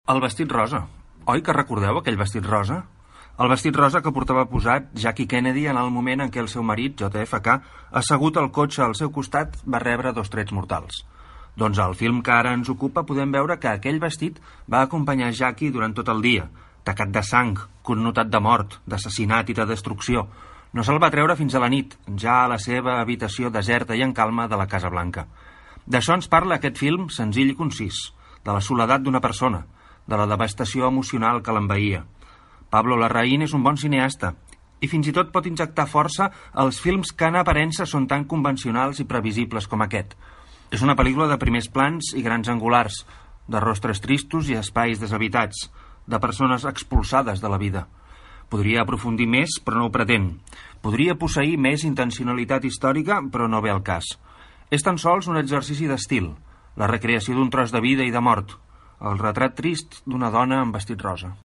El vestit rosa. Oi que recordeu aquell vestit rosa? El vestit rosa que portava posat Jackie Kennedy en el moment en què el seu marit, JFK, assegut al cotxe al seu costat, va rebre 2 trets mortals. Doncs al film que ara ens ocupa podem veure que aquell vestit va acompanyar Jackie durant tot el dia, tacat de sang, connotat de mort, d'assassinat i de destrucció. No se'l va treure fins a la nit, ja a la seva habitació deserta i en calma de la Casa Blanca. D'això ens parla aquest film senzill i concís, de la soledat d'una persona, de la devastació emocional que l'envaïa. Pablo Larraín és un bon cineasta i fins i tot pot injectar força als films que en aparença són tan convencionals i previsibles com aquest. És una pel·lícula de primers plans i grans angulars, de rostres tristos i espais deshabitats, de persones expulsades de la vida. Podria aprofundir més, però no ho pretén. Podria posseir més intencionalitat històrica, però no ve al cas. És tan sols un exercici d'estil, la recreació d'un tros de vida i de mort, el retrat trist d'una dona amb vestit rosa.